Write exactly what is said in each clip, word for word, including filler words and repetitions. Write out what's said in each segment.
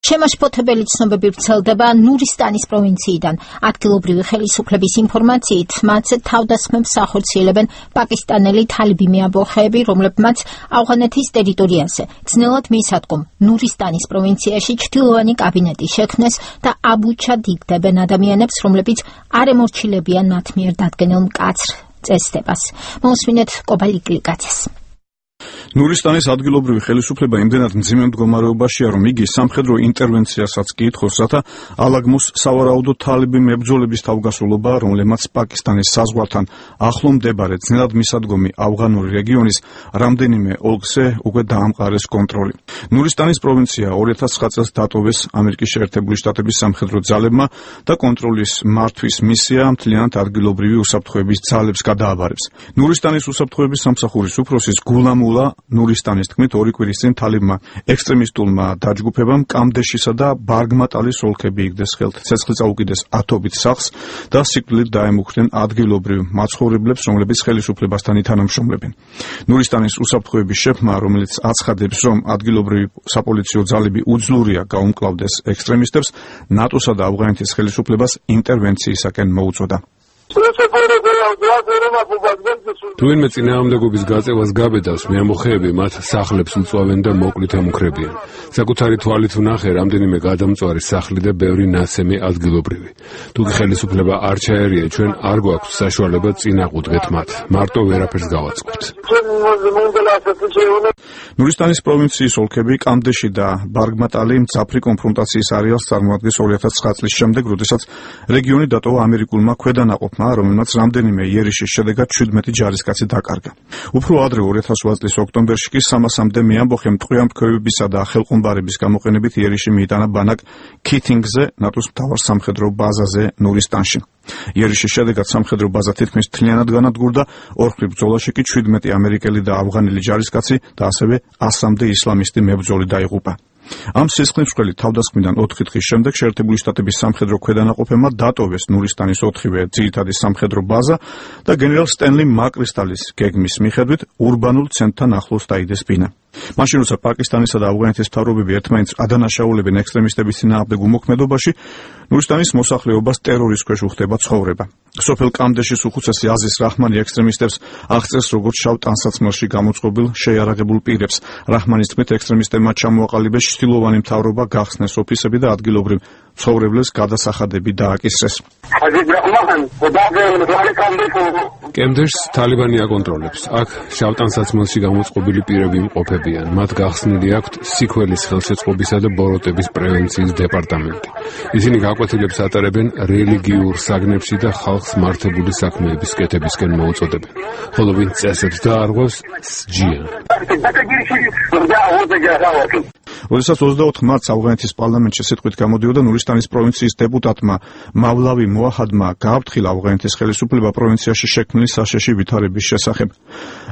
შემაშფოთებელი ცნობები ვრცელდება ნურისტანის პროვინციიდან. ადგილობრივი ხელისუფლების ინფორმაციით, მათ თავდასხმებს ახორციელებენ პაკისტანელი თალიბი მეამბოხეები, რომლებმაც ავღანეთის ტერიტორიაზე ძნელად მისადგომ ნურისტანის პროვინციაში ჩრდილოვანი კაბინეტი შექმნეს და აბუჩად იგდებენ ადამიანებს, რომლებიც არ ემორჩილებიან მათ მიერ დადგენილ მკაცრ წესდებას. მოусმინეთ კობალი კლიკაძეს. ნურისტანის ადგილობრივი ხელისუფლება იმდენად მძიმე მდგომარეობაშია, რომ იგი სამხედრო ინტერვენციასაც კი ითხოვს, რათა ალაგმოს სავარაუდო თალიბი მებრძოლების თავგასრულობა, რომლებმაც პაკისტანის საზღვართან ახლო მდებარე ძნელად მისადგომი ავღანური რეგიონის რამდენიმე ოლქზე უკვე დაამყარეს კონტროლი. ნურისტანის პროვინცია ორი ათას ცხრა წელს დატოვეს ამერიკის შეერთებული შტატების სამხედრო ძალებმა და კონტროლის მართვის მისია მთლიანად ადგილობრივი უსაფრთხოების ძალებს გადააბარებს. ნურისტანის უსაფრთხოების სამსახურის უფროსის გულამულა ნურისტანის თქმით, ორი კვირის წინ თალიბმა ექსტრემისტულმა დაჯგუფებამ კამდეშისა და ბარგმატალის ოლქები იგდეს ხელთ. ცეცხლი წაუკიდეს ათობით სახლს და სიკვდილით დაემუქრნენ ადგილობრივ მაცხოვრებლებს, რომლებიც ხელისუფლებასთან ითანამშრომლებენ. ნურისტანის უსაფრთხოების შეფმა, რომელიც აცხადებს, რომ ადგილობრივი საპოლიციო ძალები უძლურია გაუმკლავდეს ექსტრემისტებს, ნატოსა და ავღანეთის ხელისუფლებას ინტერვენციისაკენ მოუწოდა. თუ ვინმე წინააღმდეგობის გაწევას გაბედავს, მეამბოხეები მათ სახლებს უწვავენ და მოკლით ემუქრებიან. საკუთარი თვალით ვნახე რამდენიმე გადამწვარი სახლი და ბევრი ნაცემი ადგილობრივი. თუ კი ხელისუფლება არ ჩაერია, ჩვენ არ გვაქვს საშუალება წინ აყუდგეთ მათ. მარტო ვერაფერს გავაწყობთ. ნურისტანის პროვინციის ოლქები კამდეში და ბარგმატალი მძაფრი კონფრონტაციის არეალს წარმოადგენს ორი ათას ცხრა წლის შემდეგ, როდესაც რეგიონი დატოვა ამერიკულმა ქვედანაყოფმა, რომელმაც რამდენიმე იერიშის შედეგად შვიდმეტი ჯარისკაცი დაკარგა. უფრო ადრე ორი ათას ოცდაათ წლის ოქტომბერში კი სამასამდე მეამბოხემ ტყვიამფრქვევებისა და ხელყუმბარების გამოყენებით იერიში მიიტანა ბანაკ ქითინგზე, ნატოს მთავარ სამხედრო ბაზაზე ნურისტანში. იერიშის შედეგად სამხედრო ბაზა თითქმის მთლიანად განადგურდა, ორხრივ ბრძოლაში კი შვიდმეტი ამერიკელი და ავღანელი ჯარისკაცი და ასევე ასამდე ისლამისტი მებრძოლი დაიღუპა. ამ სისხლისმღვრელი თავდასხმიდან ოთხი დღის შემდეგ შეერთებული შტატების სამხედრო ქვედანაყოფებმა დატოვეს ნურისტანის ოთხივე ძირითადი სამხედრო ბაზა და გენერალ სტენლი მაკრისტალის გეგმის მიხედვით ურბანულ ცენტრთან ახლოს დაიდეს ბინა. მაშინ როცა პაკისტანისა და ავღანეთის მთავრობები ერთმანეთს ადანაშაულებენ ექსტრემისტების წინააღმდეგ უმოქმედობაში, ნურისტანის მოსახლეობას ტერორის ქვეშ უხდება ცხოვრება. სოფელ კამდეშის უხუცესი აზიზ რაჰმანი ექსტრემისტებს აღწერს როგორც შავ ტანსაცმელში გამოწყობილ შეიარაღებულ პირებს. რაჰმანის თქმით, ექსტრემისტებმა ჩამოაყალიბეს ჩtildeოვანი მთავრობა, გახსნეს ოფისები და ადგილობრივ ცხოვრებლებს გადასახადები დააკისრეს. კემდეშს თალიბანი აკონტროლებს. აქ შავ ტანსაცმელში გამოწყობილი პირები იმყოფებიან. მათ გახსნილი აქვთ სიქველის ხელშეწყობისა და ბოროტების პრევენციის დეპარტამენტი. ისინი გაკვეთილებს ატარებენ რელიგიურ საგნებში და ხალხს მართებული საქმეების კეთებისკენ მოუწოდებენ. ხოლო ვინც წესებს დაარღვევს, სჯიან. როდესაც ოცდაოთხ მარტს ავღანეთის პარლამენტში სიტყვით გამოდიოდა, ნურისტანის პროვინციის დეპუტატმა მავლავი მოაჰადმა გააფრთხილა ავღანეთის ხელისუფლება პროვინციაში შექმნილი საშიში ვითარების შესახებ.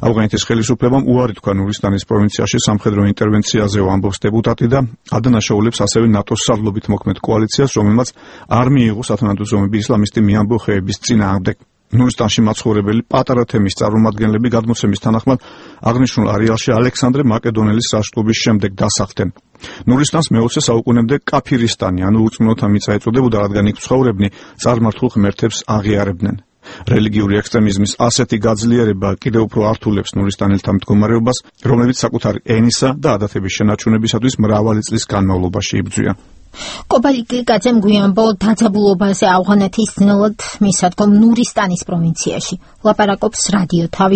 ავღანეთის ხელისუფლებამ უარი თქვა ნურისტანის პროვინციაში სამხედრო ინტერვენციაზე, ამბობს დეპუტატი და ადანაშაულებს ასევე ნატოს სარდლობით მოქმედ კოალიციას, რომელმაც არ მიიღო სათანადო ზომები ისლამისტი მეამბოხეების წინააღმდეგ. ნურისტანში მაცხოვრებელი პატარა თემის წარმომადგენლები გადმოცემის თანახმად აღნიშნულ არეალში ალექსანდრე მაკედონელის საშტყობის შემდეგ დასახლდნენ. ნურისტანს მეოცე საუკუნემდე კაფირისტანი, ანუ ურწმუნოთა მიწა ეწოდებოდა, რადგან იქ მცხოვრებნი წარმართულ ღმერთებს აღიარებდნენ. რელიგიური ექსტრემიზმის ასეთი გაძლიერება კიდევ უფრო ართულებს ნურისტანელთა მდგომარეობას, რომლებიც საკუთარი ენისა და ადათების შენარჩუნებისათვის მრავალი წლის განმავლობაში იბრძვიან. კობალი კლიკაძემ გვიანბო დაძაბულობაზე ავღანეთის ძნელად მისადგომ ნურისტანის პროვინციაში. ლაპარაკობს რადიო თავი.